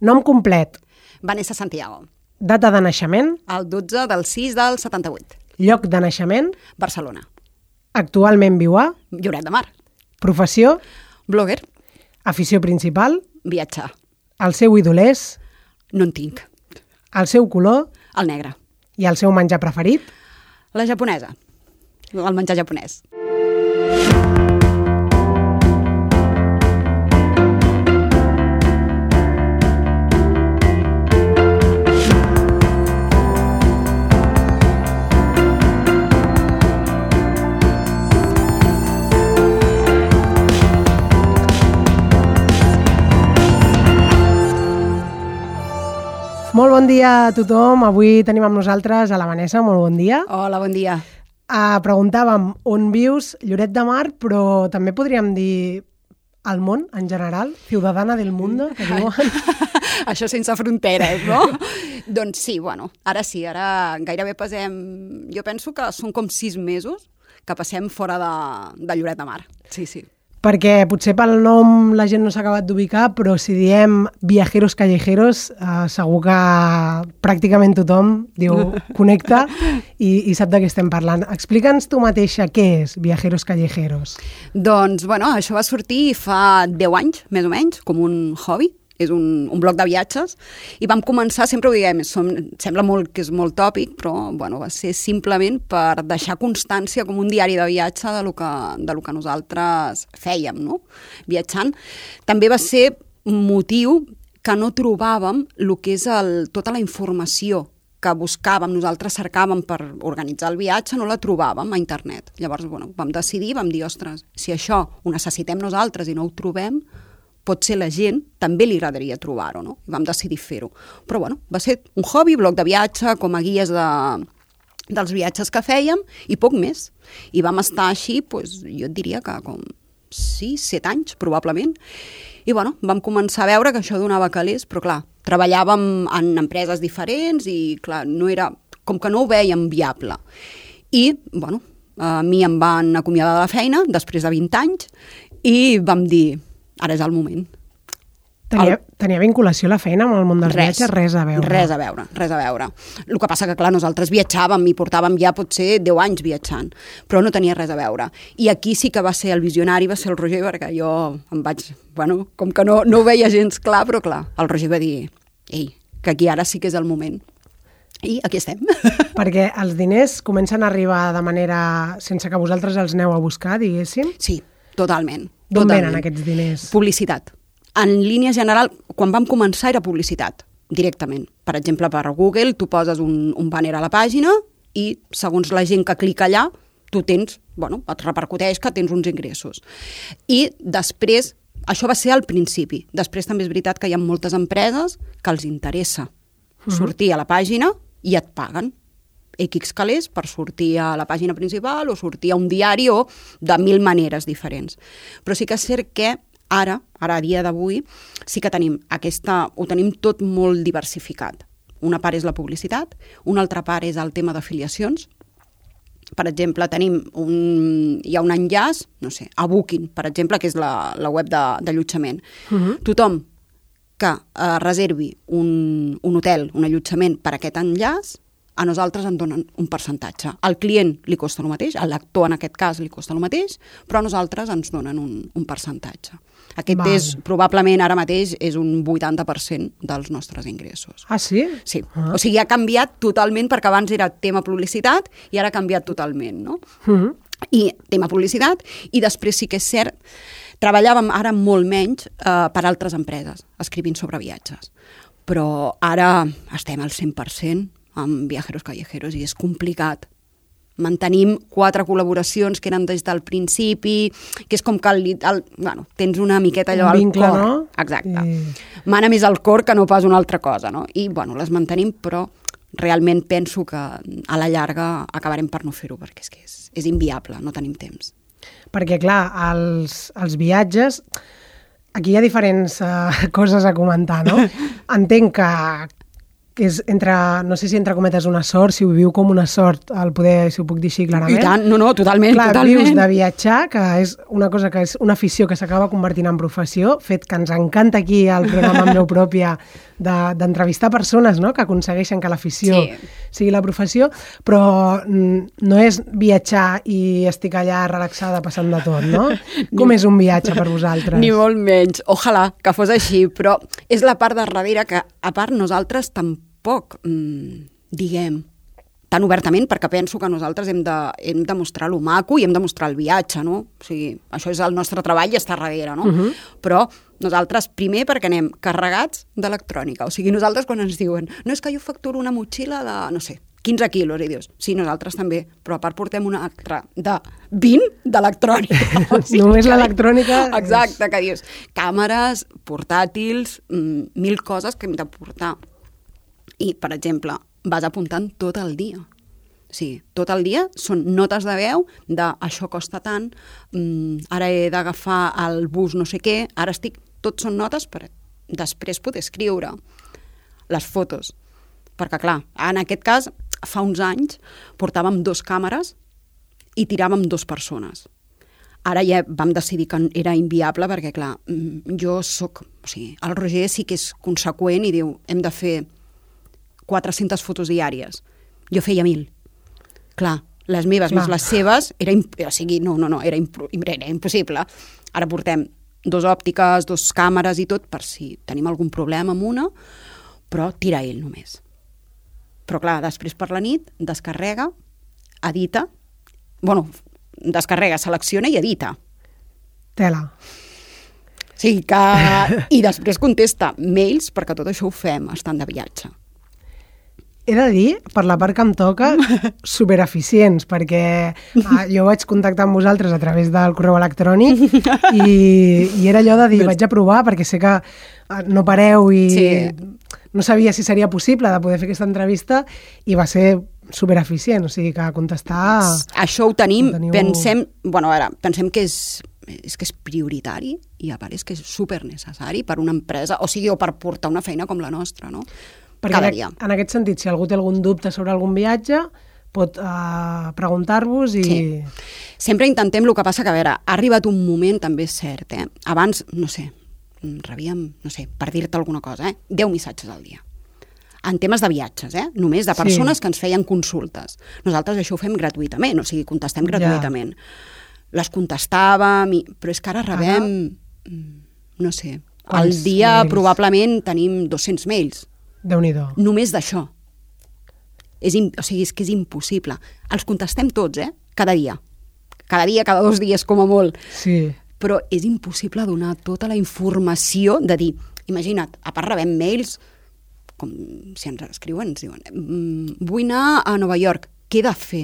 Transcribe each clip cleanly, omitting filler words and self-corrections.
Nom complet. Vanessa Santiago. Data de naixement. El 12 del 6 del 78. Lloc de naixement. Barcelona. Actualment viu a. Lloret de Mar. Professió. Blogger. Afició principal. Viatjar. El seu ídol és. No en tinc. El seu color. El negre. I el seu menjar preferit. La japonesa. El menjar japonès. Molt bon dia a tothom. Avui tenim amb nosaltres a la Vanessa. Molt bon dia. Hola, bon dia. Preguntàvem on vius, Lloret de Mar, però també podríem dir al món en general, ciudadana del mundo, que diuen. Això sense fronteres, no? Doncs sí, ara gairebé passem... Jo penso que són com 6 mesos que passem fora de Lloret de Mar. Sí, sí. Perquè potser pel nom la gent no s'ha acabat d'ubicar, però si diem viajeros callejeros, segur que pràcticament tothom diu connecta i sap de què estem parlant. Explica'ns tu mateixa què és Viajeros Callejeros. Doncs, això va sortir fa 10 anys, més o menys, com un hobby. És un blog de viatges, i vam començar, sempre ho diguem, sembla molt que és molt tòpic, però va ser simplement per deixar constància com un diari de viatge de lo que nosaltres fèiem, no? Viatjant. També va ser un motiu que no trobàvem el que és tota la informació que buscàvem, nosaltres cercàvem per organitzar el viatge, no la trobàvem a internet. Llavors, vam decidir, vam dir, ostres, si això ho necessitem nosaltres i no ho trobem, potser la gent també li agradaria trobar-ho, no? I vam decidir fer-ho. Però, va ser un hobby, blog de viatge, com a guies dels viatges que fèiem, i poc més. I vam estar així, jo et diria que com 6-7 anys, probablement. I, vam començar a veure que això donava calés, però, clar, treballàvem en empreses diferents i, clar, com que no ho vèiem viable. I, a mi em van acomiadar de la feina després de 20 anys i vam dir, ara és el moment. Tenia vinculació la feina amb el món dels viatges? Res a veure. Res a veure. El que passa que, clar, nosaltres viatjàvem i portàvem ja potser 10 anys viatjant, però no tenia res a veure. I aquí sí que va ser el visionari, va ser el Roger, perquè jo em vaig... com que no ho veia gens clar, però clar, el Roger va dir, que aquí ara sí que és el moment. I aquí estem. Perquè els diners comencen a arribar de manera... sense que vosaltres els aneu a buscar, diguéssim? Sí, totalment. D'on venen aquests diners? Publicitat. En línia general, quan vam començar era publicitat, directament. Per exemple, per Google, tu poses un banner a la pàgina i segons la gent que clica allà, tu tens, et repercuteix que tens uns ingressos. I després, això va ser al principi. Després també és veritat que hi ha moltes empreses que els interessa sortir a la pàgina i et paguen X calés per sortir a la pàgina principal o sortir a un diari o de 1000 maneres diferents. Però sí que és cert que ara a dia d'avui, sí que ho tenim tot molt diversificat. Una part és la publicitat, una altra part és el tema d'afiliacions. Per exemple, hi ha un enllaç, a Booking, per exemple, que és la web d'allotjament. Tothom que reservi un hotel, un allotjament per aquest enllaç, a nosaltres ens donen un percentatge. Al client li costa el mateix, al lector en aquest cas li costa el mateix, però a nosaltres ens donen un percentatge. Aquest és, probablement ara mateix, és un 80% dels nostres ingressos. Ah, sí? Sí. O sigui, ha canviat totalment, perquè abans era tema publicitat i ara ha canviat totalment, no? I tema publicitat, i després sí que és cert, treballàvem ara molt menys per altres empreses, escrivint sobre viatges. Però ara estem al 100% amb Viajeros Callejeros i és complicat. Mantenim 4 col·laboracions que eren des del principi, que és com que tens una miqueta allò al vincle, cor. No? Exacte. Mana més al cor que no pas una altra cosa, no? I, les mantenim, però realment penso que a la llarga acabarem per no fer-ho, perquè és que és inviable, no tenim temps. Perquè, clar, els viatges... Aquí hi ha diferents coses a comentar, no? Entenc que és no sé si entre cometes una sort, si ho viu com una sort, si ho puc dir així clarament. I tant, no, totalment. Clar, totalment. Vius de viatjar, que és una cosa que és una afició que s'acaba convertint en professió, fet que ens encanta aquí al programa amb veu pròpia, d'entrevistar persones, no?, que aconsegueixen que l'afició sigui la professió, però no és viatjar i estic allà relaxada passant de tot, no? Com és un viatge per vosaltres? Ni molt menys. Ojalà que fos així, però és la part de darrere que, a part, nosaltres tampoc diguem tan obertament, perquè penso que nosaltres hem de mostrar lo maco i hem de mostrar el viatge, no? O sigui, això és el nostre treball i està darrere, no? Però nosaltres, primer, perquè anem carregats d'electrònica. O sigui, nosaltres quan ens diuen no, és que jo facturo una motxilla de, no sé, 15 quilos, i dius, sí, nosaltres també, però a part portem una altra de 20 d'electrònica. O sigui, només l'electrònica... Exacte, que dius, càmeres, portàtils, 1000 coses que hem de portar. I, per exemple, vas apuntant tot el dia. Sí, tot el dia són notes de veu de això costa tant, ara he d'agafar el bus no sé què, ara estic... Tot són notes per després poder escriure les fotos. Perquè, clar, en aquest cas, fa uns anys portàvem 2 càmeres i tiràvem 2 persones. Ara ja vam decidir que era inviable perquè, clar, jo soc... O sigui, el Roger sí que és conseqüent i diu, hem de fer 400 fotos diàries. Jo feia 1000. Clar, les meves més les seves, era impossible. Ara portem 2 òptiques, 2 càmeres i tot, per si tenim algun problema amb una, però tira ell només. Però clar, després per la nit descarrega, edita, descarrega, selecciona i edita. Tela. Sí, que... I després contesta mails, perquè tot això ho fem estant de viatge. He de dir, per la part que em toca, supereficients, perquè jo vaig contactar amb vosaltres a través del correu electrònic i era allò de dir, vaig a provar, perquè sé que no pareu i no sabia si seria possible de poder fer aquesta entrevista i va ser supereficient, o sigui que contestar... Això ho tenim, pensem que és prioritari i a part és que és supernecessari per una empresa, o sigui, o per portar una feina com la nostra, no? Perquè en aquest sentit, si algú té algun dubte sobre algun viatge, pot preguntar-vos i... Sí. Sempre intentem, el que passa que, a veure, ha arribat un moment, també és cert, abans, no sé, rebíem, per dir-te alguna cosa, 10 missatges al dia. En temes de viatges, només de persones que ens feien consultes. Nosaltres això ho fem gratuïtament, o sigui, contestem gratuïtament. Les contestàvem, però és que ara rebem, no sé, al dia probablement tenim 200 mails. Déu-n'hi-do. Només d'això. O sigui, és que és impossible. Els contestem tots, cada dia. Cada dia, cada 2 dies, com a molt. Sí. Però és impossible donar tota la informació de dir, imagina't, a part rebem mails, com si ens escriuen, ens diuen, vull anar a Nova York, què he de fer?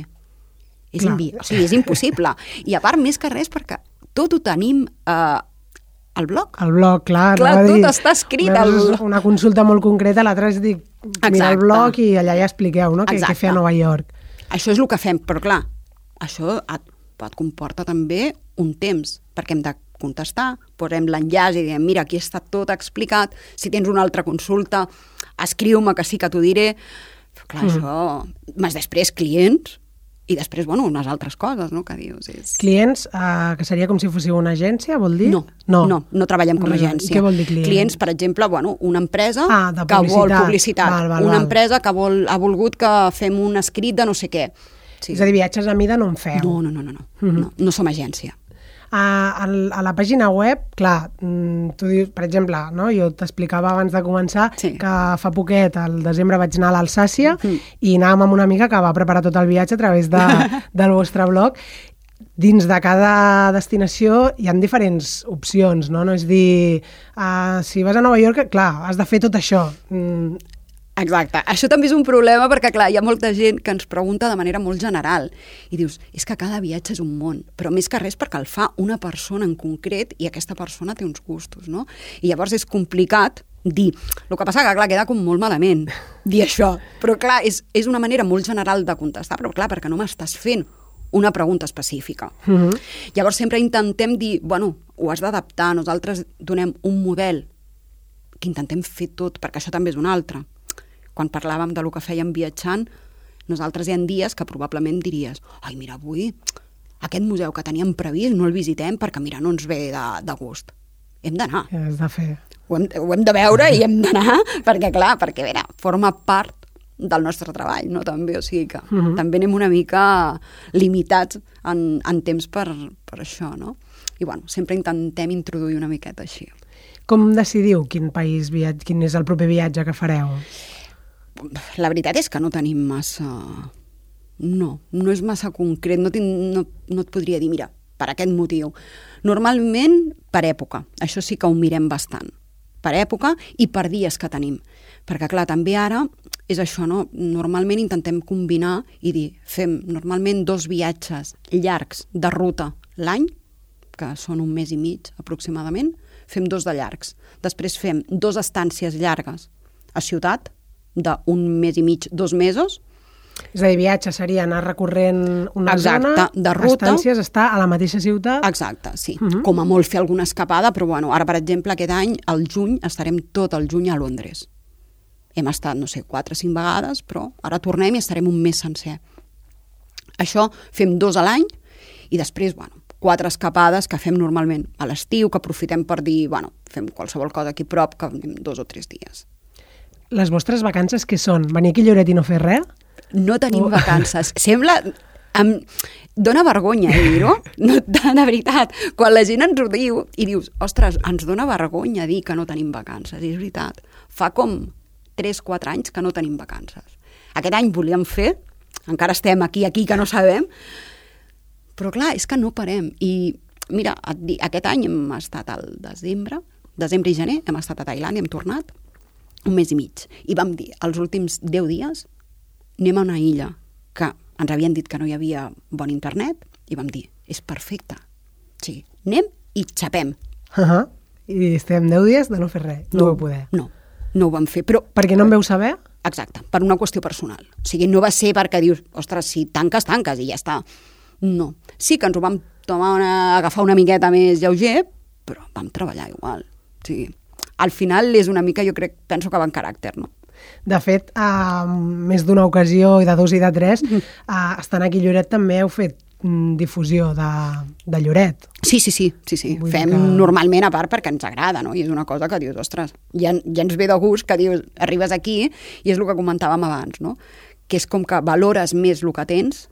O sigui, és impossible. I a part, més que res, perquè tot ho tenim... al blog. Al blog, clar. Tot està escrit. Una consulta molt concreta, l'altra és dir, mira el blog i allà ja expliqueu, no?, què fer a Nova York. Això és el que fem, però clar, això et comporta també un temps, perquè hem de contestar, posem l'enllaç i diem, mira, aquí està tot explicat, si tens una altra consulta, escriu-me que sí que t'ho diré. Però clar, això... Més després, clients... I després, unes altres coses, no?, que dius. Clients, que seria com si fóssiu una agència, vol dir? No treballem com a agència. Què vol dir clients? Clients, per exemple, una empresa que vol publicitat. Una empresa que ha volgut que fem un escrit de no sé què. És a dir, viatges a mida no en feu. No som agència. A la pàgina web, clar, tu dius, per exemple, no? Jo t'explicava abans de començar que fa poquet, al desembre, vaig anar a l'Alsàcia i anàvem amb una amiga que va preparar tot el viatge a través del vostre blog. Dins de cada destinació hi ha diferents opcions, no? No és dir, si vas a Nova York, clar, has de fer tot això. Exacte. Això també és un problema perquè, clar, hi ha molta gent que ens pregunta de manera molt general i dius, és que cada viatge és un món, però més que res perquè el fa una persona en concret i aquesta persona té uns gustos, no? I llavors és complicat dir. El que passa que, clar, queda com molt malament dir això, però, clar, és una manera molt general de contestar, però, clar, perquè no m'estàs fent una pregunta específica. Llavors sempre intentem dir, ho has d'adaptar, nosaltres donem un model que intentem fer tot, perquè això també és un altre. Quan parlàvem del que fèiem viatjant, nosaltres hi ha dies que probablement diries, ai, mira, avui aquest museu que teníem previst no el visitem perquè, mira, no ens ve de gust. hem d'anar. Has de fer. Ho hem de veure i hem d'anar, perquè clar, perquè a veure, forma part del nostre treball, no? També, o sigui que també anem una mica limitats en temps per això, no? I bueno, sempre intentem introduir una miqueta així. Com decidiu quin és el proper viatge que fareu? La veritat és que no tenim massa... No és massa concret, no et podria dir, mira, per aquest motiu. Normalment per època, això sí que ho mirem bastant. Per època i per dies que tenim. Perquè clar, també ara és això, no? Normalment intentem combinar i dir, fem normalment 2 viatges llargs de ruta l'any, que són 1 mes i mig aproximadament, fem 2 de llargs. Després fem 2 estàncies llargues a ciutat, d'1 mes i mig, 2 mesos. És a dir, viatge seria anar recorrent una zona, de ruta. Estàncies, estar a la mateixa ciutat. Exacte, sí. Com a molt fer alguna escapada, però bueno, ara, per exemple, aquest any, al juny, estarem tot el juny a Londres. Hem estat, no sé, 4 o 5 vegades, però ara tornem i estarem un mes sencer. Això fem 2 a l'any i després, bueno, 4 escapades que fem normalment a l'estiu, que aprofitem per dir, bueno, fem qualsevol cosa aquí prop, que anem 2 o 3 dies. Les vostres vacances què són? Venir aquí a Lloret i no fer res? No tenim vacances. Sembla... Dóna vergonya dir-ho, no, de veritat. Quan la gent ens ho diu i dius, ostres, ens dóna vergonya dir que no tenim vacances. I és veritat. Fa com 3-4 anys que no tenim vacances. Aquest any volíem fer, encara estem aquí, que no sabem, però clar, és que no parem. I mira, aquest any hem estat al desembre i gener, hem estat a Tailàndia, hem tornat 1 mes i mig. I vam dir, els últims 10 dies anem a una illa que ens havien dit que no hi havia bon internet i vam dir, és perfecte. Sí, anem i xapem. I estem 10 dies de no fer res. No ho vau poder. No ho vam fer. Però perquè no en veu saber? Exacte, per una qüestió personal. O sigui, no va ser perquè dius, ostres, si tanques i ja està. No. Sí que ens ho vam agafar una miqueta més lleuger, però vam treballar igual. O sigui, al final és una mica, jo penso que va en caràcter, no? De fet, més d'una ocasió, i de 2 i de 3, estant aquí a Lloret també heu fet difusió de Lloret. Sí. Fem normalment a part perquè ens agrada, no? I és una cosa que dius, ostres, ja ens ve de gust que dius, arribes aquí, i és el que comentàvem abans, no? Que és com que valores més el que tens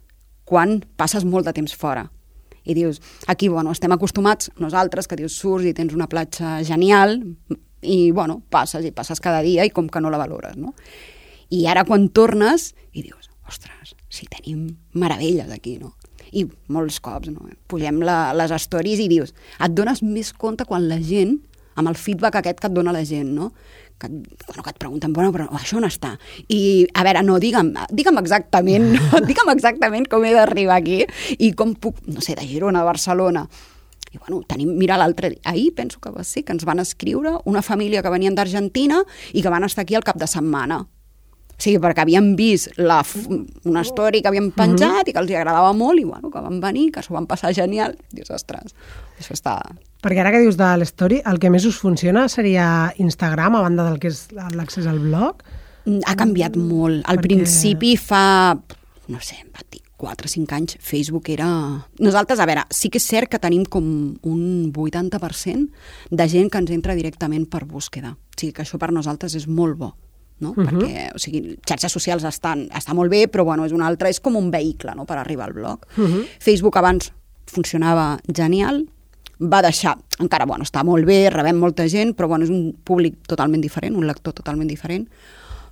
quan passes molt de temps fora. I dius, aquí, bueno, estem acostumats nosaltres, que dius, surts i tens una platja genial, i, bueno, passes cada dia i com que no la valores, no? I ara quan tornes i dius, ostres, si tenim meravelles aquí, no? I molts cops, no? Pugem les stories i dius, et dones més compte quan la gent, amb el feedback aquest que et dona la gent, no? Que et pregunten, bueno, però això on està? I, a veure, no, digue'm exactament, no? Digue'm exactament com he d'arribar aquí i com puc, no sé, de Girona a Barcelona. I bueno, mira ahir penso que va ser que ens van escriure una família que venien d'Argentina i que van estar aquí al cap de setmana. O sigui, perquè havien vist una story que havíem penjat i que els agradava molt i bueno, que van venir, que s'ho van passar genial. Dius, ostres, això està... Perquè ara que dius de l'story, el que més us funciona seria Instagram, a banda del que és l'accés al blog? Ha canviat molt. Al principi fa, no sé, va dir 4 o 5 anys, Facebook era... Nosaltres, a veure, sí que és cert que tenim com un 80% de gent que ens entra directament per búsqueda. O sigui, que això per nosaltres és molt bo, no? Perquè, o sigui, xarxes socials està molt bé, però bueno, és com un vehicle, no?, per arribar al blog. Facebook abans funcionava genial, va deixar, encara, bueno, està molt bé, rebem molta gent, però bueno, és un públic totalment diferent, un lector totalment diferent.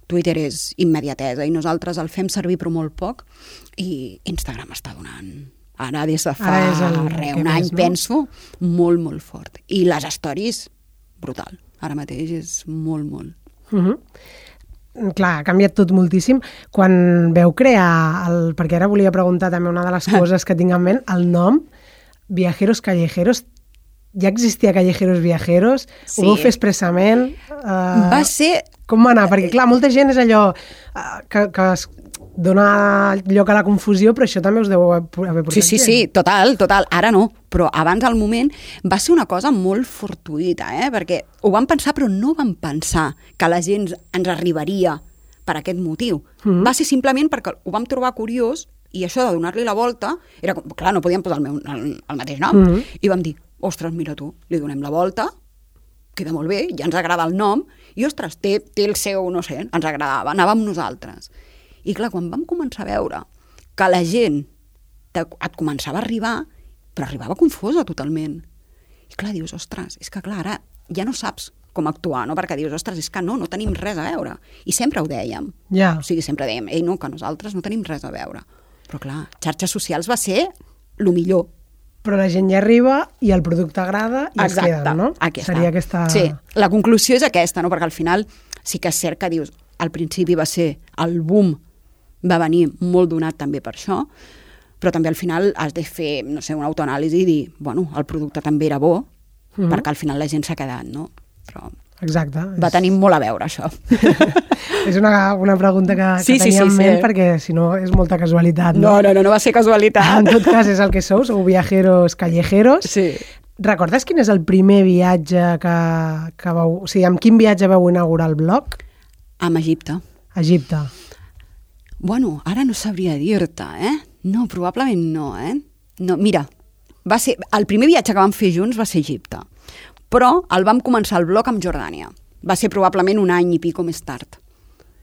Twitter és immediatesa i nosaltres el fem servir però molt poc i Instagram està donant, ara des de fa un any, penso, molt, molt fort. I les stories, brutal. Ara mateix és molt, molt. Clar, ha canviat tot moltíssim. Quan veu crear, perquè ara volia preguntar també una de les coses que tinc en ment, el nom, Viajeros Callejeros, ja existia Callejeros Viajeros? Sí. Ho vau fer expressament? Va ser... Com va anar? Perquè, clar, molta gent és allò que es dona lloc a la confusió, però això també us deu haver portat gent. Sí, total. Ara no, però abans al moment va ser una cosa molt fortuïta, perquè ho vam pensar, però no vam pensar que la gent ens arribaria per aquest motiu. Va ser simplement perquè ho vam trobar curiós i això de donar-li la volta, clar, no podíem posar el mateix nom, i vam dir, ostres, mira tu, li donem la volta queda molt bé, ja ens agrada el nom, i ostres, té el seu, no sé, ens agradava, anava amb nosaltres. I clar, quan vam començar a veure que la gent et començava a arribar, però arribava confosa totalment. I clar, dius, ostres, és que clar, ara ja no saps com actuar, no? Perquè dius, ostres, és que no tenim res a veure. I sempre ho dèiem. Ja. O sigui, sempre dèiem, no, que nosaltres no tenim res a veure. Però clar, xarxes socials va ser el millor. Però la gent ja arriba i el producte agrada i es queden, no? Seria aquesta... Sí, la conclusió és aquesta, no? Perquè al final sí que és cert que dius, al principi va ser el boom, va venir molt donat també per això, però també al final has de fer, no sé, una autoanàlisi i dir, bueno, el producte també era bo, perquè al final la gent s'ha quedat, no? Però exacte. Va tenir molt a veure, això. És una pregunta que tenia en ment, perquè si no és molta casualitat. No va ser casualitat. En tot cas és el que sou viajeros callejeros. Sí. Recordes quin és el primer viatge que vau... O sigui, amb quin viatge vau inaugurar el blog? Amb Egipte. Egipte. Bueno, ara no sabria dir-te, No, probablement no, No, mira, va ser... El primer viatge que vam fer junts va ser Egipte, però el vam començar el blog amb Jordània. Va ser probablement un any i pico més tard.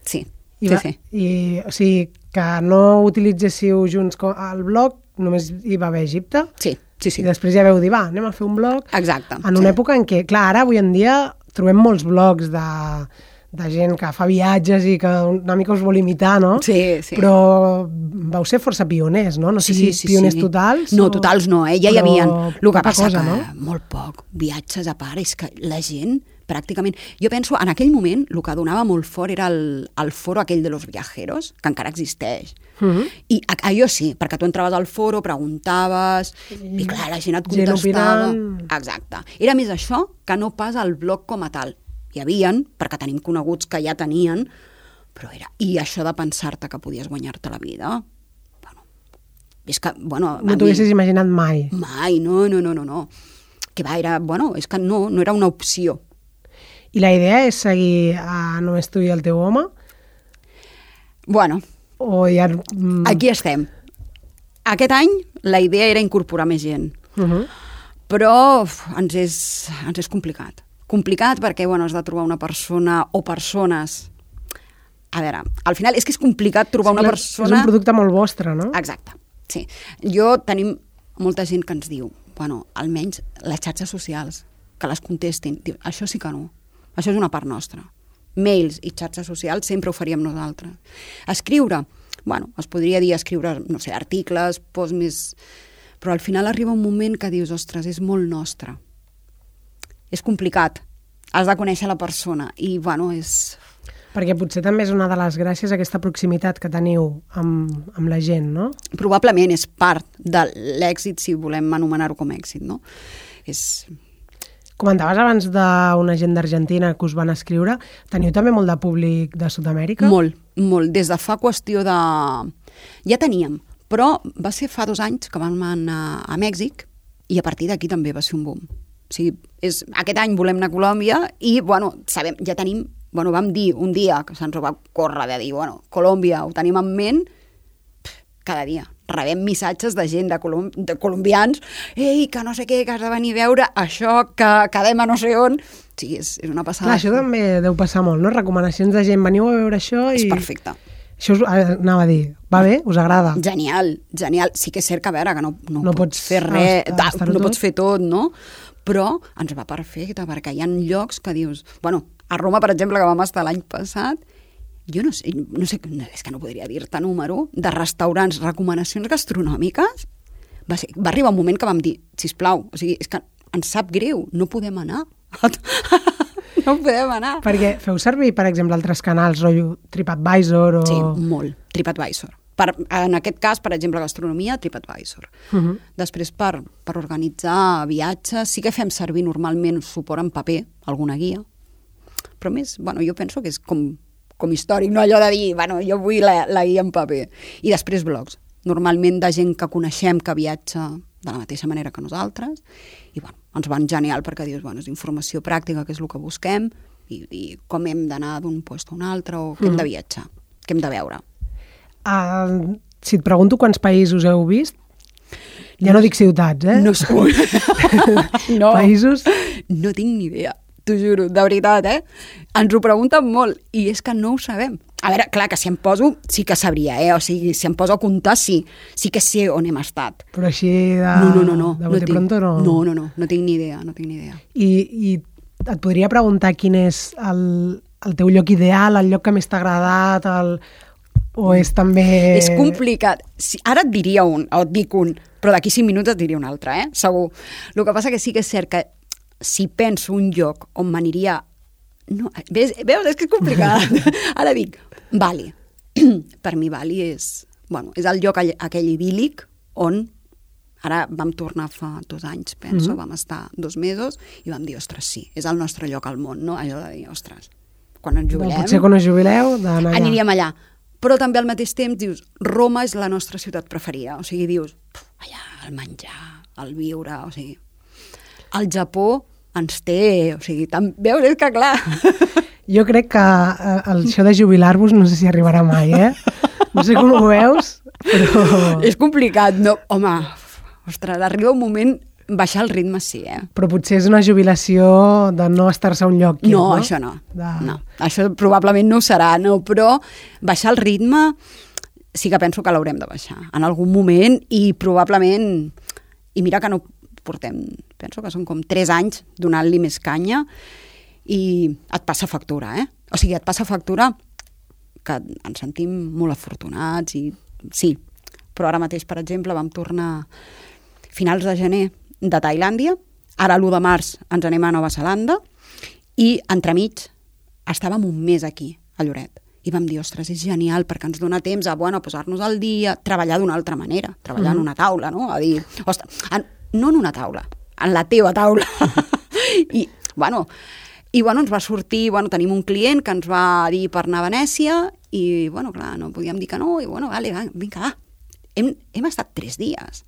Sí, sí. I, o sigui, que no utilitzéssiu junts el blog, només hi va haver Egipte? Sí. I després ja veu dir, va, anem a fer un blog. Exacte. En una època en què, clar, ara avui en dia trobem molts blogs de gent que fa viatges i que una mica us vol imitar, no? Sí. Però vau ser força pioners, no? No sé si pioners totals. No, totals no, Ja hi havia. El que passa cosa, que no? molt poc. Viatges a part, és que la gent pràcticament... Jo penso, en aquell moment, el que donava molt fort era el foro aquell de los viajeros, que encara existeix. I allò sí, perquè tu entraves al foro, preguntaves, i clar, la gent et contestava. Exacte. Era més això que no pas el blog com a tal. Hi havien, perquè tenim coneguts que ja tenien, però era... I això de pensar-te que podies guanyar-te la vida, bueno, és que, bueno... No t'ho haguessis imaginat mai. Mai, no. Que va, era, bueno, és que no era una opció. I la idea és seguir a Només tu i el teu home? Bueno, o ja... aquí estem. Aquest any la idea era incorporar més gent, però ens és complicat. Complicat perquè, bueno, has de trobar una persona o persones... A veure, al final és que és complicat trobar una persona... És un producte molt vostre, no? Exacte, sí. Tenim molta gent que ens diu, bueno, almenys les xarxes socials, que les contestin. Diu, això sí que no. Això és una part nostra. Mails i xarxes socials sempre ho faríem nosaltres. Escriure, bueno, es podria dir escriure, no sé, articles, posts més... Però al final arriba un moment que dius, ostres, és molt nostre. És complicat. Has de conèixer la persona i, bueno, és... Perquè potser també és una de les gràcies aquesta proximitat que teniu amb la gent, no? Probablement és part de l'èxit, si volem anomenar-ho com èxit, no? Comentaves abans d'una gent d'Argentina que us van escriure. Teniu també molt de públic de Sud-amèrica? Molt. Des de fa qüestió de... Ja teníem, però va ser fa 2 anys que vam anar a Mèxic i a partir d'aquí també va ser un boom. O sigui, aquest any volem anar a Colòmbia i, bueno, sabem, ja tenim... Bueno, vam dir un dia que se'ns ho va córrer de dir, bueno, Colòmbia ho tenim en ment, cada dia. Rebem missatges de gent de colombians, ei, que no sé què, que has de venir a veure això, que quedem a no sé on. Sí, és una passada. Clar, això també deu passar molt, no? Recomanacions de gent, veniu a veure això i... És perfecte. Això anava a dir, va bé? Us agrada? Genial. Sí que és cert que, a veure, que no pots fer res, no pots fer tot, no? Però ens va perfecte, perquè hi ha llocs que dius... Bueno, a Roma, per exemple, que vam estar l'any passat, jo no sé, és que no podria dir-te número, de restaurants, recomanacions gastronòmiques, va arribar un moment que vam dir, sisplau, o sigui, és que ens sap greu, no podem anar. No podem anar. Perquè feu servir, per exemple, altres canals, rotllo TripAdvisor o... Sí, molt, TripAdvisor. En aquest cas, per exemple, gastronomia, TripAdvisor. Després, per organitzar viatges, sí que fem servir normalment suport en paper, alguna guia, però més, bueno, jo penso que és com històric, no allò de dir, bueno, jo vull la guia en paper. I després blogs, normalment de gent que coneixem que viatja de la mateixa manera que nosaltres, i bueno, ens van genial perquè dius, bueno, és informació pràctica, que és el que busquem, i com hem d'anar d'un lloc a un altre, o què hem de viatjar, què hem de veure. Si et pregunto quants països heu vist, ja no dic ciutats, No. Països? No tinc ni idea. t'ho juro, de veritat, Ens ho pregunten molt, i és que no ho sabem. A veure, clar, que si em poso, sí que sabria, O sigui, si em poso a comptar, sí que sé on hem estat. Però així de... No. De bote pronto no... No tinc ni idea, I et podria preguntar quin és el teu lloc ideal, el lloc que més t'ha agradat, o és també... És complicat. Ara et diria un, o et dic un, però d'aquí 5 minuts et diria un altre, segur. El que passa que sí que és cert que si penso un lloc on m'aniria... No, veus, és que és complicat. Ara dic, Bali. Per mi Bali és el lloc aquell idíl·lic on ara vam tornar fa 2 anys, penso, vam estar 2 mesos i vam dir, ostres, sí, és el nostre lloc al món, no? Allò de dir, ostres, quan ens jubilem... Potser quan us jubileu, d'anar allà. Aniríem allà. Però també al mateix temps dius, Roma és la nostra ciutat preferida. O sigui, dius, allà, el menjar, el viure, o sigui... El Japó ens té, o sigui, veus, és que clar... Jo crec que això de jubilar-vos no sé si arribarà mai, No sé com ho veus, però... És complicat, no? Home, ostres, arriba un moment... Baixar el ritme sí, Però potser és una jubilació de no estar-se a un lloc. No, això no. No. Això probablement no ho serà, no, però baixar el ritme sí que penso que l'haurem de baixar en algun moment i probablement... I mira que no portem... Penso que són com 3 anys donant-li més canya i et passa factura, O sigui, et passa factura que ens sentim molt afortunats i sí, però ara mateix, per exemple, vam tornar finals de gener de Tailàndia, ara l'1 de març ens anem a Nova Zelanda i entremig estàvem un mes aquí, a Lloret. I vam dir, ostres, és genial perquè ens dona temps a posar-nos al dia, treballar d'una altra manera, treballar en una taula, no? A dir, ostres, no en una taula, en la teva taula. I ens va sortir, tenim un client que ens va dir per anar a Venècia i, clar, no podíem dir que no, i vinga, va. Hem estat 3 dies.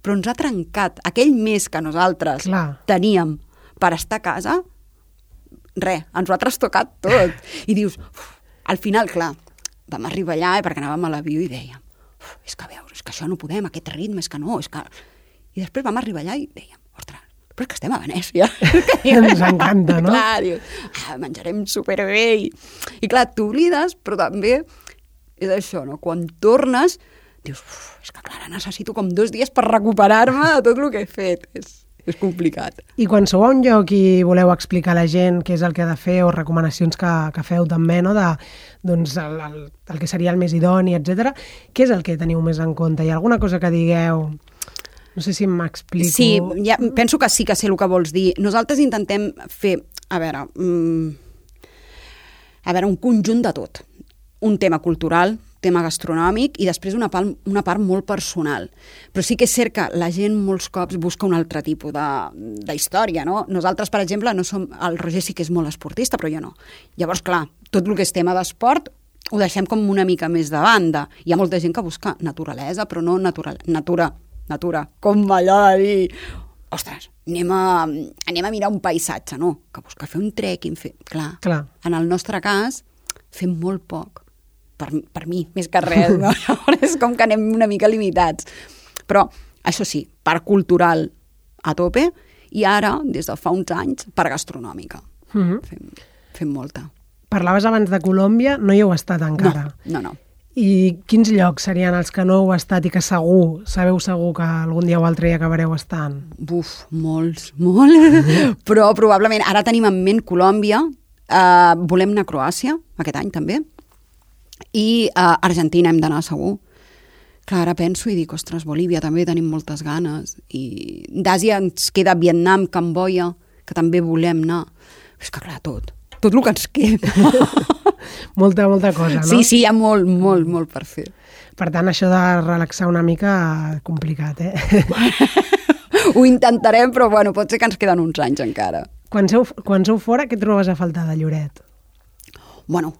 Però ens ha trencat aquell mes que nosaltres teníem per estar a casa, ens ho ha trastocat tot. I dius, al final, clar, vam arribar allà perquè anàvem a l'avió i dèiem, és que això no podem, aquest ritme, és que no, és que... I després vam arribar allà i dèiem, ostres, però és que estem a Venècia. Ens encanta, no? Clar, dius, menjarem superbé. I clar, t'oblides, però també és això, no? Quan tornes... dius, és que clar, necessito com 2 dies per recuperar-me de tot el que he fet. És complicat. I quan sou a un lloc i voleu explicar a la gent què és el que ha de fer o recomanacions que feu també, no? Doncs el que seria el més idoni, etc. Què és el que teniu més en compte? Hi ha alguna cosa que digueu? No sé si m'explico. Sí, penso que sí que sé el que vols dir. Nosaltres intentem fer, un conjunt de tot. Un tema cultural, tema gastronòmic i després una part molt personal. Però sí que és cert que la gent molts cops busca un altre tipus d'història, no? Nosaltres, per exemple, no som... El Roger sí que és molt esportista, però jo no. Llavors, clar, tot el que és tema d'esport ho deixem com una mica més de banda. Hi ha molta gent que busca naturalesa, però no natura, com allò de dir... Ostres, anem a mirar un paisatge, no? Que busca fer un trekking, Clar, en el nostre cas fem molt poc. Per mi, més que res, no? És com que anem una mica limitats. Però, això sí, part cultural a tope i ara, des de fa uns anys, part gastronòmica. Fem molta. Parlaves abans de Colòmbia, no hi heu estat encara. No. I quins llocs serien els que no heu estat i que sabeu segur que algun dia o altre hi acabareu estant? Molts. Però probablement, ara tenim en ment Colòmbia, volem anar a Croàcia, aquest any també, i a Argentina hem d'anar segur. Clar, ara penso i dic, ostres, Bolívia també tenim moltes ganes. I d'Àsia ens queda Vietnam, Camboia, que també volem anar. És que clar, tot el que ens queda. molta cosa, no? Sí, hi ha molt per fer. Per tant, això de relaxar una mica, complicat, Ho intentarem, però pot ser que ens queden uns anys encara. Quan sou fora, què trobes a faltar de Lloret?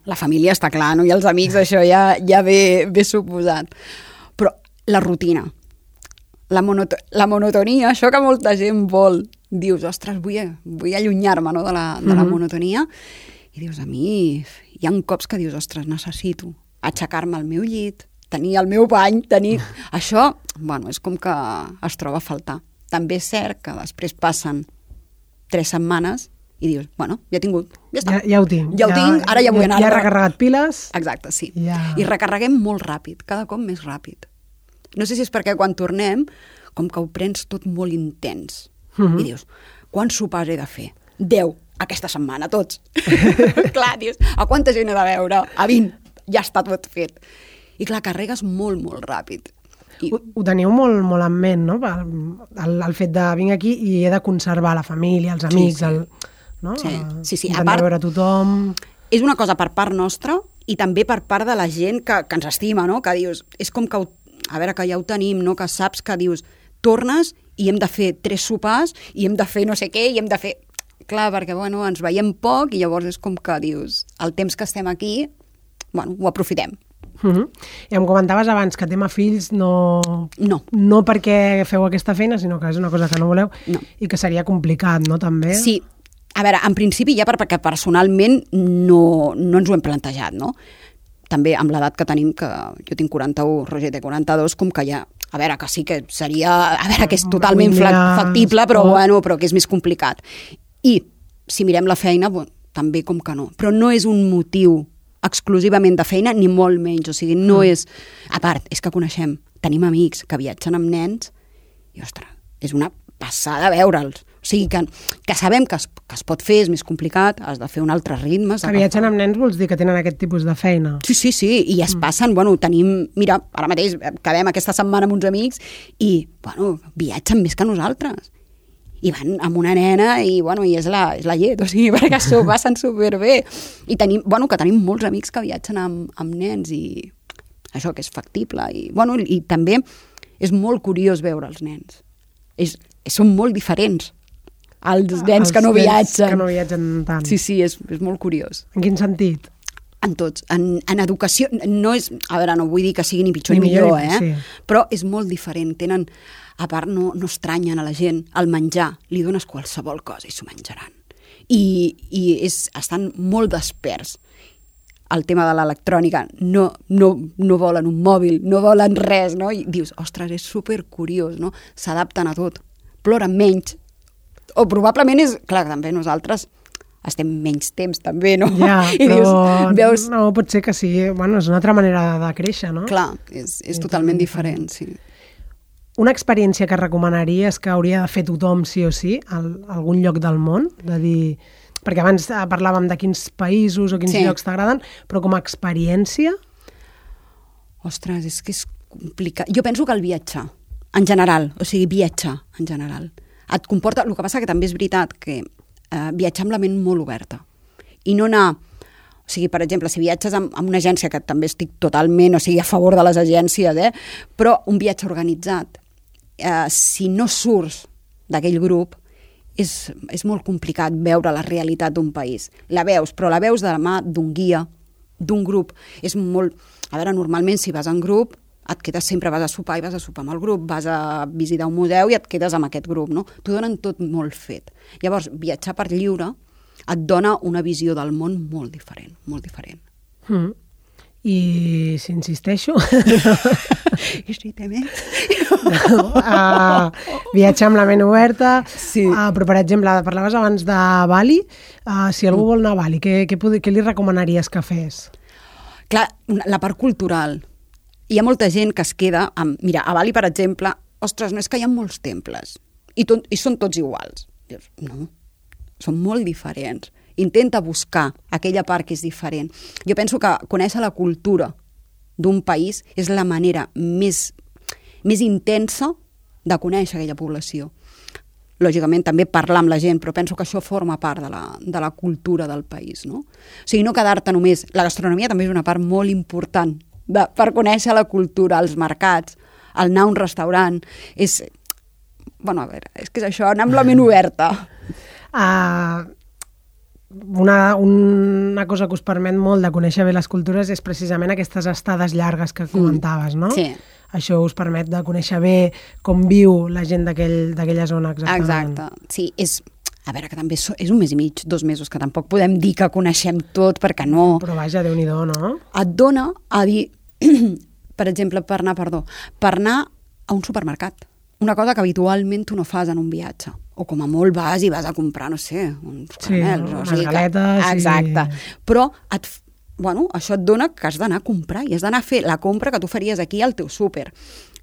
La família està clar, no? I els amics, això ja ve suposat. Però la rutina, la monotonia, això que molta gent vol, dius, ostres, vull allunyar-me, no? de la monotonia, i dius, a mi hi ha cops que dius, ostres, necessito aixecar-me al meu llit, tenir el meu bany, Això, és com que es troba a faltar. També és cert que després passen 3 setmanes I dius, bueno, ja he tingut, ja està. Ja ho tinc. Ja ho tinc, ara ja vull anar. Ja he recarregat piles. Exacte, sí. Ja. I recarreguem molt ràpid, cada cop més ràpid. No sé si és perquè quan tornem, com que ho prens tot molt intens. I dius, quants sopars he de fer? 10, aquesta setmana, tots. Clar, dius, a quanta gent he de veure? A 20, ja està tot fet. I clar, carregues molt, molt ràpid. Ho teniu molt, molt en ment, no? El fet de vinc aquí i he de conservar la família, els amics, no? Sí. Intentar veure tothom. És una cosa per part nostra i també per part de la gent que ens estima, no? Que dius, és com que, a veure, que ja ho tenim, no? Que saps que dius, tornes i hem de fer 3 sopars i hem de fer no sé què i hem de fer... Clar, perquè bueno, ens veiem poc i llavors és com que dius, el temps que estem aquí, bueno, ho aprofitem. I em comentaves abans que tema fills no perquè feu aquesta feina, sinó que és una cosa que no voleu i que seria complicat, no, també? Sí, a veure, en principi ja perquè personalment no ens ho hem plantejat, no? També amb l'edat que tenim, que jo tinc 41, Roger té 42, com que ja, a veure, que sí que seria, a veure, que és totalment factible, però bueno, però que és més complicat. I si mirem la feina, bueno, també com que no. Però no és un motiu exclusivament de feina, ni molt menys. O sigui, no és... A part, és que coneixem, tenim amics que viatgen amb nens i, ostres, és una passada veure'ls. O sigui, que sabem que es pot fer, és més complicat, has de fer un altre ritme. Que viatgen amb nens vols dir que tenen aquest tipus de feina? Sí, i es passen, bueno, tenim... Mira, ara mateix acabem aquesta setmana amb uns amics i, bueno, viatgen més que nosaltres. I van amb una nena i, bueno, i és la llet, o sigui, perquè s'ho passen superbé. I tenim, bueno, que tenim molts amics que viatgen amb nens i això que és factible. I, bueno, i també és molt curiós veure els nens. Són molt diferents als nens que no viatgen. Que no viatgen tant. Sí, és molt curiós. En quin sentit? En tots. En educació, no és... A veure, no vull dir que sigui ni pitjor ni millor, sí. Però és molt diferent. Tenen... A part, no estranyen a la gent. Al menjar, li dones qualsevol cosa i s'ho menjaran. I estan molt desperts. El tema de l'electrònica, no volen un mòbil, no volen res, no? I dius, ostres, és supercuriós, no? S'adapten a tot. Ploren menys. O probablement és... Clar, també nosaltres estem menys temps, també, no? Ja, I però veus... no, pot ser que sigui... Bueno, és una altra manera de créixer, no? Clar, és totalment diferent, sí. Una experiència que recomanaries que hauria de fer tothom sí o sí a algun lloc del món? De dir... Perquè abans parlàvem de quins països o quins llocs t'agraden, però com a experiència? Ostres, és que és complicat. Jo penso que el viatjar, en general, o sigui, viatjar en general, et comporta... El que passa que també és veritat que viatjar amb la ment molt oberta i no anar... O sigui, per exemple, si viatges amb una agència, que també estic totalment, o sigui, a favor de les agències, però un viatge organitzat, si no surts d'aquell grup, és molt complicat veure la realitat d'un país. La veus, però la veus de la mà d'un guia, d'un grup. És molt... A veure, normalment, si vas en grup, et quedes sempre, vas a sopar i vas a sopar amb el grup, vas a visitar un museu i et quedes amb aquest grup, no? T'ho donen tot molt fet. Llavors, viatjar per lliure et dona una visió del món molt diferent, molt diferent. I si insisteixo... I si té més? Viatjar amb la ment oberta, sí. Però per exemple, parlaves abans de Bali, si algú vol anar a Bali, què li recomanaries que fes? Clar, la part cultural. Hi ha molta gent que es queda amb... Mira, a Bali, per exemple, ostres, no és que hi ha molts temples i són tots iguals. Dius, no, són molt diferents. Intenta buscar aquella part que és diferent. Jo penso que conèixer la cultura d'un país és la manera més intensa de conèixer aquella població. Lògicament també parlar amb la gent, però penso que això forma part de la cultura del país, no? O sigui, no quedar-te només... La gastronomia també és una part molt important per conèixer la cultura, els mercats, el anar a un restaurant. Bueno, a veure, és que és això, anar amb la ment oberta. Una cosa que us permet molt de conèixer bé les cultures és precisament aquestes estades llargues que comentaves, no? Sí. Això us permet de conèixer bé com viu la gent d'aquella zona, exactament. Exacte, sí. A veure, que també és un mes i mig, 2 mesos, que tampoc podem dir que coneixem tot, perquè no... Però vaja, Déu-n'hi-do, no? Et dona a dir, per exemple, per anar a un supermercat. una cosa que habitualment tu no fas en un viatge. O com a molt vas i vas a comprar, no sé, uns caramels. Unes galetes. Exacte. Però això et dona que has d'anar a comprar i has d'anar a fer la compra que tu faries aquí al teu súper.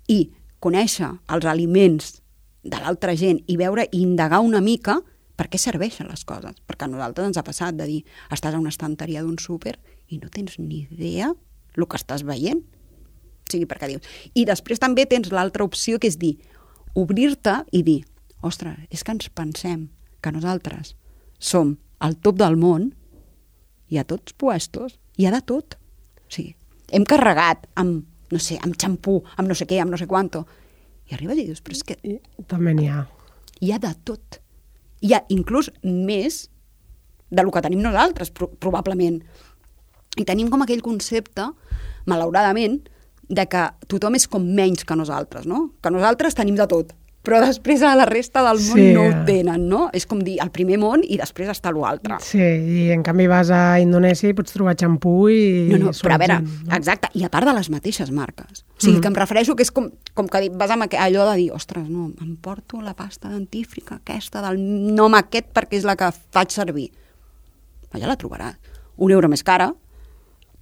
I conèixer els aliments de l'altra gent i veure i indagar una mica per què serveixen les coses. Perquè a nosaltres ens ha passat de dir, estàs a una estanteria d'un súper i no tens ni idea el que estàs veient. O sigui, perquè dius. I després també tens l'altra opció, que és dir, obrir-te i dir, ostres, és que ens pensem que nosaltres som al top del món i a tots puestos hi ha de tot. O sigui, hem carregat amb, no sé, amb xampú, amb no sé què, amb no sé quanto. I arribes i dius, però és que... També n'hi ha. Hi ha de tot. Hi ha inclús més del que tenim nosaltres, probablement. I tenim com aquell concepte, malauradament, de que tothom és com menys que nosaltres, no? Que nosaltres tenim de tot, però després a la resta del món no ho tenen, no? És com dir, el primer món i després està l'altre. Sí, i en canvi vas a Indonèsia i pots trobar xampú i... No, però a veure, exacte, i a part de les mateixes marques. O sigui, que em refereixo que és com que vas amb allò de dir, ostres, no, em porto la pasta dentífrica aquesta del nom aquest perquè és la que faig servir. Ja la trobaràs. €1 més cara,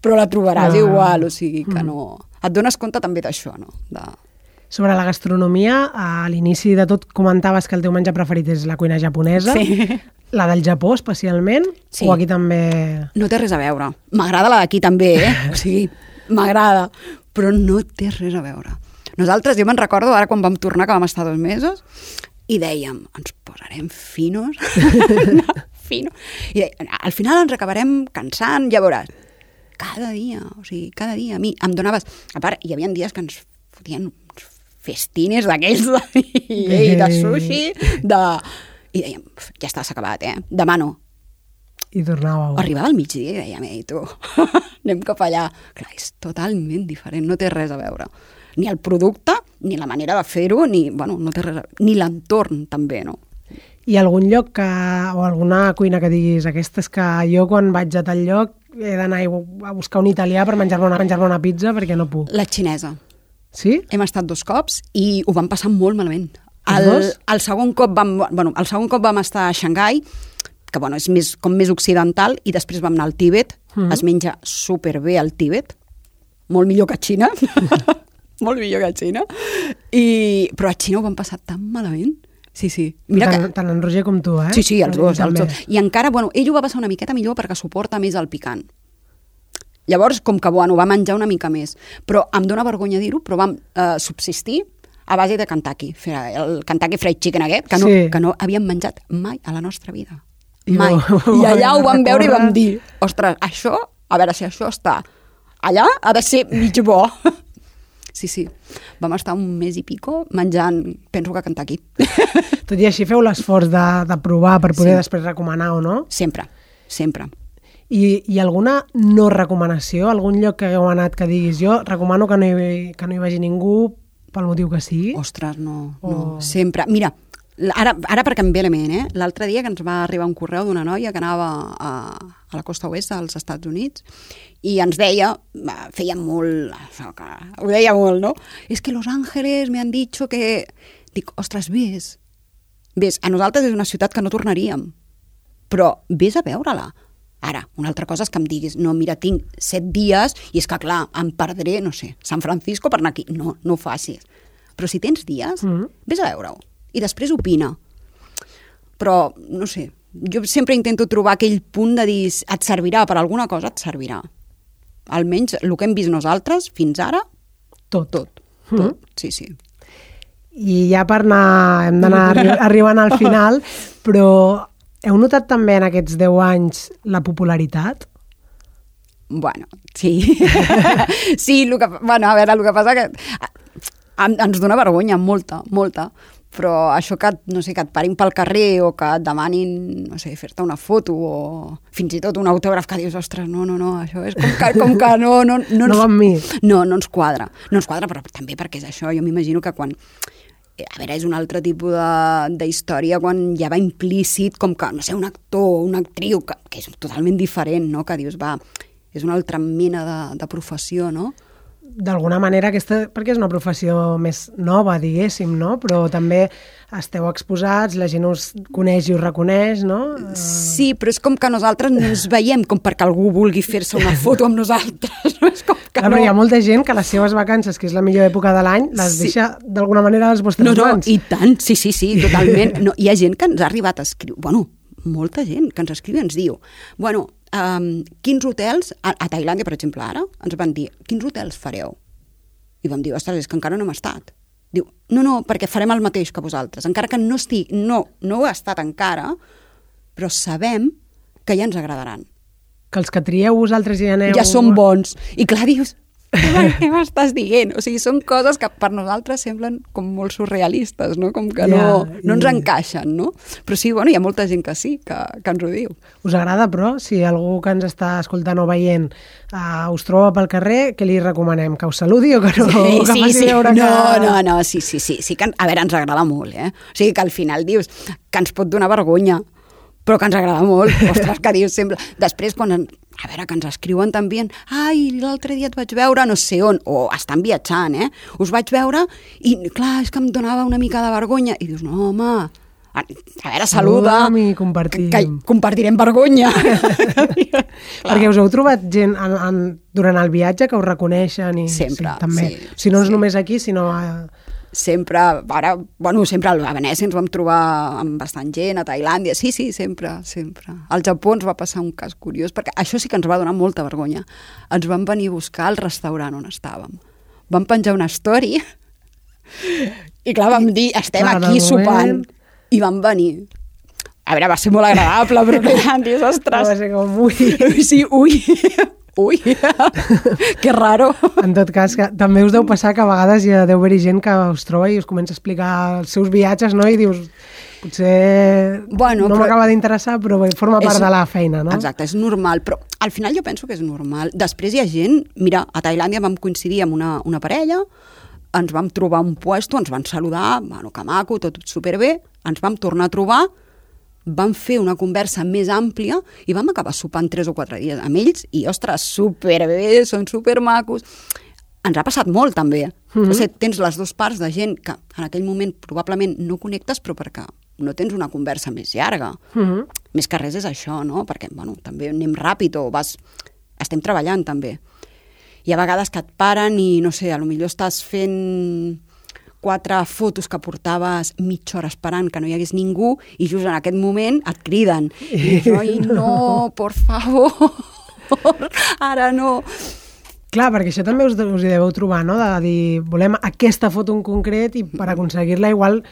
però la trobaràs igual, o sigui que no... Et dones compte també d'això, no? Sobre la gastronomia, a l'inici de tot comentaves que el teu menjar preferit és la cuina japonesa. Sí. La del Japó, especialment? Sí. O aquí també... No té res a veure. M'agrada la d'aquí també, O sigui, m'agrada, però no té res a veure. Nosaltres, jo me'n recordo, ara quan vam tornar, que vam estar 2 mesos, i dèiem, ens posarem finos, fino. I dèiem, al final ens acabarem cansant, ja veuràs. Cada dia, o sigui, cada dia. A mi em donaves... A part, hi havia dies que ens fotien festines d'aquells de sushi, i dèiem, ja està, s'ha acabat, demà no. I tornàveu. Arribava al migdia i dèiem, ei, tu, anem cap allà. Clar, és totalment diferent, no té res a veure. Ni el producte, ni la manera de fer-ho, ni, no té res a veure. Ni l'entorn, també, no? Hi ha algun lloc o alguna cuina que diguis, aquesta és que jo quan vaig a tal lloc he d'anar a buscar un italià per menjar-me una pizza perquè no puc? La xinesa. Sí? Hem estat 2 cops i ho vam passar molt malament. El segon cop vam estar a Xangai, que és com més occidental, i després vam anar al Tíbet. Es menja superbé al Tíbet. Molt millor que a Xina. Molt millor que a Xina. Però a Xina ho vam passar tan malament. Sí. Mira tant en Roger com tu, eh? Sí, els dos. I encara, ell ho va passar una miqueta millor perquè suporta més el picant. Llavors, com que, va menjar una mica més. Però em dóna vergonya dir-ho, però vam subsistir a base de Kentucky. El Kentucky Fried Chicken aquest, que no havíem menjat mai a la nostra vida. Mai. I allà ho vam veure i vam dir, ostres, això, a veure si això està allà, ha de ser mig bo. Sí. Vam estar 1 mes i pico menjant, penso que a Kentucky. Tot i així feu l'esforç de provar per poder després recomanar o no? Sempre. I alguna no recomanació? Algun lloc que hagueu anat que diguis jo recomano que no hi vagi ningú pel motiu que sigui? Ostres, no. Sempre. Mira, ara perquè em ve la ment, l'altre dia que ens va arribar un correu d'una noia que anava a la costa oest dels Estats Units i ens deia, feia molt, ho deia molt, no? És que Los Ángeles me han dicho que... Dic, ostres, ves, a nosaltres és una ciutat que no tornaríem, però ves a veure-la. Ara, una altra cosa és que em diguis, no, mira, tinc 7 dies i és que, clar, em perdré, no sé, San Francisco per anar aquí. No ho facis. Però si tens dies, ves a veure-ho. I després opina. Però, no sé, jo sempre intento trobar aquell punt de dir, et servirà per alguna cosa, et servirà. Almenys el que hem vist nosaltres fins ara, tot. Sí. I ja per anar, hem d'anar arribant al final, però heu notat també en aquests 10 anys la popularitat? Bueno, sí. Sí, el que passa que ens dona vergonya, molta. Però això que, no sé, que et parin pel carrer o que et demanin, no sé, fer-te una foto o fins i tot un autògraf que dius, ostres, no, això és com que no... No va amb mi. No ens quadra. No ens quadra, però també perquè és això. Jo m'imagino que quan... A veure, és un altre tipus d'història quan ja va implícit com que, no sé, un actor o una actriu, que és totalment diferent, no? Que dius, és una altra mena de professió, no? d'alguna manera, perquè és una professió més nova, diguéssim, no? Però també esteu exposats, la gent us coneix i us reconeix, no? Sí, però és com que nosaltres no ens veiem com perquè algú vulgui fer-se una foto amb nosaltres. No? És com que Però hi ha molta gent que les seves vacances, que és la millor època de l'any, les deixa d'alguna manera a les vostres mans. I tant, sí, totalment. No, hi ha gent que ens ha arribat a escriure, molta gent que ens escriu i ens diu, quins hotels, a Tailàndia, per exemple, ara, ens van dir, quins hotels fareu? I vam dir, ostres, és que encara no hem estat. Diu, no, perquè farem el mateix que vosaltres. Encara que no ho he estat encara, però sabem que ja ens agradaran. Que els que trieu vosaltres ja aneu... Ja són bons. I clar, dius, què m'estàs dient? O sigui, són coses que per nosaltres semblen com molt surrealistes, no? Com que no ens encaixen, no? Però sí, hi ha molta gent que sí, que ens ho diu. Us agrada, però, si algú que ens està escoltant o veient us troba pel carrer, què li recomanem? Que us saludi o que no? Sí. No, sí que, a veure, ens agrada molt, O sigui, que al final dius que ens pot donar vergonya, però que ens agrada molt. Ostres, que dius sempre... Després, quan... A veure, que ens escriuen també, l'altre dia et vaig veure no sé on, o estan viatjant, us vaig veure i, clar, és que em donava una mica de vergonya. I dius, no, home, a veure, saluda, i compartim. Que compartirem vergonya. Perquè us heu trobat gent durant el viatge que us reconeixen? Sempre, també. Sí. Si no és només aquí, sinó... Sempre, sempre a Venècia ens vam trobar amb bastant gent, a Tailàndia, sí, sempre. Al Japó ens va passar un cas curiós, perquè això sí que ens va donar molta vergonya. Ens van venir a buscar al restaurant on estàvem. Vam penjar una story i clar, vam dir, estem aquí sopant. I van venir. A veure, va ser molt agradable, però que dius, ostres. Va ser com, ui. Sí, ui, que raro. En tot cas, que també us deu passar que a vegades hi deu haver gent que us troba i us comença a explicar els seus viatges, no? I dius, potser no m'acaba d'interessar, però forma part de la feina, no? Exacte, és normal, però al final jo penso que és normal. Després hi ha gent, mira, a Tailàndia vam coincidir amb una parella, ens vam trobar un puesto, ens van saludar, que maco, tot superbé, ens vam tornar a trobar, vam fer una conversa més àmplia i vam acabar sopant 3 o 4 dies amb ells i, ostres, superbé, són supermacos. Ens ha passat molt, també. O sigui, tens les dues parts de gent que en aquell moment probablement no connectes, però perquè no tens una conversa més llarga. Més que res és això, no? Perquè, també anem ràpid o estem treballant, també. Hi ha vegades que et paren i, no sé, potser estàs fent 4 fotos que portaves mitja hora esperant que no hi hagués ningú i just en aquest moment et criden. I jo, no, por favor, ara no. Clar, perquè això també us hi deveu trobar, no? De dir, volem aquesta foto en concret i per aconseguir-la igual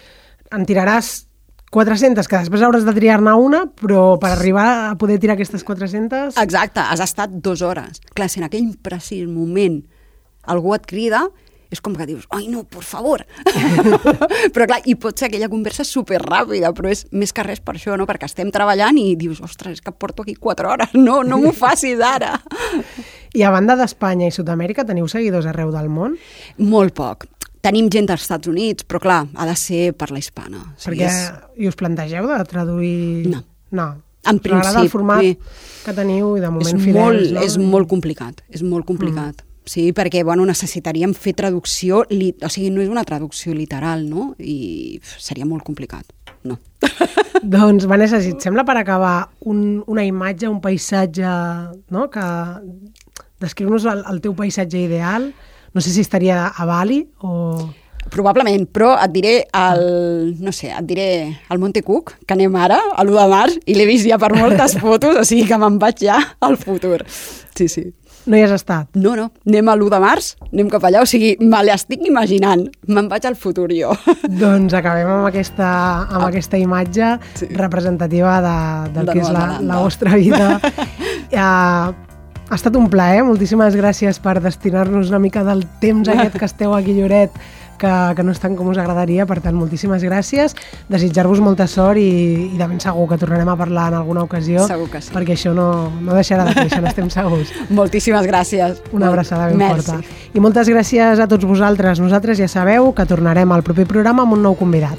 en tiraràs 400, que després hauràs de triar-ne una, però per arribar a poder tirar aquestes 400... Exacte, has estat 2 hores. Clar, si en aquell precís moment algú et crida, és com que dius, ai no, por favor. Però clar, i pot ser aquella conversa superràpida, però és més que res per això, no? Perquè estem treballant i dius, ostres, és que porto aquí 4 hores, no m'ho facis ara. I a banda d'Espanya i Sud-amèrica, teniu seguidors arreu del món? Molt poc. Tenim gent dels Estats Units, però clar, ha de ser per la hispana. Perquè i us plantegeu de traduir... No. En principi. M'agrada el format que teniu i de moment fidels, no? És molt complicat, Sí, perquè necessitaríem fer traducció, o sigui, no és una traducció literal, no? I seria molt complicat, no. Doncs, Vanessa, si et sembla per acabar una imatge, un paisatge, no? Que descriu-nos el teu paisatge ideal. No sé si estaria a Bali o... Probablement, però et diré el Monte Cook, que anem ara, a l'1 de març, i l'he vist ja per moltes fotos, o sigui que me'n vaig ja al futur. Sí. No hi has estat? No, anem a l'1 de març, anem cap allà, o sigui, me l'estic imaginant, me'n vaig al futur jo. Doncs acabem amb aquesta imatge representativa del que és la vostra vida. Ha estat un plaer, moltíssimes gràcies per destinar-nos una mica del temps aquest que esteu aquí a Lloret, que no és tant com us agradaria, per tant, moltíssimes gràcies, desitjar-vos molta sort i de ben segur que tornarem a parlar en alguna ocasió. Segur que sí. Perquè això no deixarà de créixer, n'estem segurs. Moltíssimes gràcies. Una abraçada ben forta. I moltes gràcies a tots vosaltres. Nosaltres ja sabeu que tornarem al proper programa amb un nou convidat.